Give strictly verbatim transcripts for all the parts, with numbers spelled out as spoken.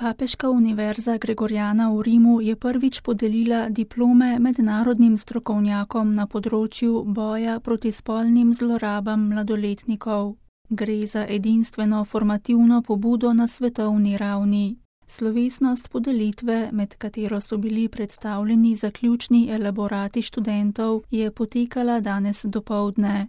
Papeška univerza Gregoriana v Rimu je prvič podelila diplome mednarodnim strokovnjakom na področju boja proti spolnim zlorabam mladoletnikov. Gre za edinstveno formativno pobudo na svetovni ravni. Slovesnost podelitve, med katero so bili predstavljeni zaključni elaborati študentov, je potekala danes dopoldne.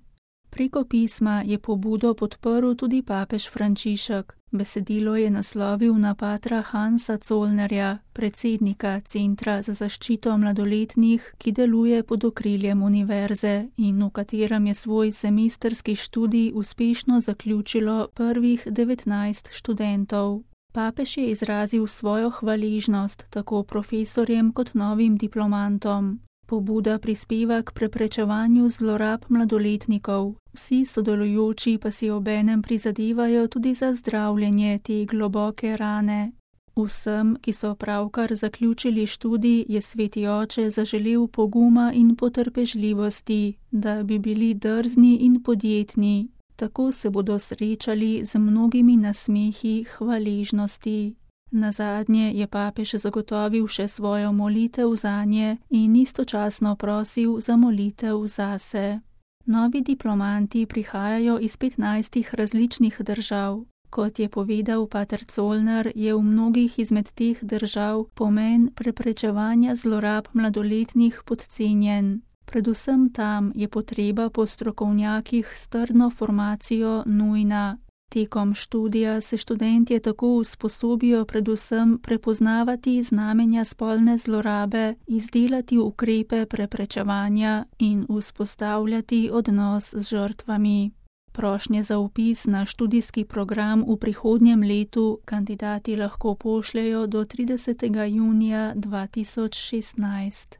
Preko pisma je pobudo podprl tudi papež Frančišek. Besedilo je naslovil na patra Hansa Zollnerja, predsednika Centra za zaščito mladoletnih, ki deluje pod okriljem univerze in v katerem je svoj semestrski študij uspešno zaključilo prvih devetnajst študentov. Papež je izrazil svojo hvaležnost tako profesorjem kot novim diplomantom. Pobuda prispeva k preprečevanju zlorab mladoletnikov. Vsi sodelujoči pa si obenem prizadevajo tudi za zdravljenje te globoke rane. Vsem, ki so pravkar zaključili študij, je sveti oče zaželel poguma in potrpežljivosti, da bi bili drzni in podjetni. Tako se bodo srečali z mnogimi nasmehi hvaležnosti. Nazadnje je papež zagotovil še svojo molitev zanje in istočasno prosil za molitev zase. Novi diplomanti prihajajo iz petnajstih različnih držav. Kot je povedal pater Zollner, je v mnogih izmed teh držav pomen preprečevanja zlorab mladoletnih podcenjen. Predvsem tam je potreba po strokovnjakih s trdno formacijo nujna. Tekom študija se študentje tako usposobijo predvsem prepoznavati znamenja spolne zlorabe, izdelati ukrepe preprečevanja in vzpostavljati odnos z žrtvami. Prošnje za vpis na študijski program v prihodnjem letu kandidati lahko pošljejo do tridesetega junija dva tisoč šestnajst.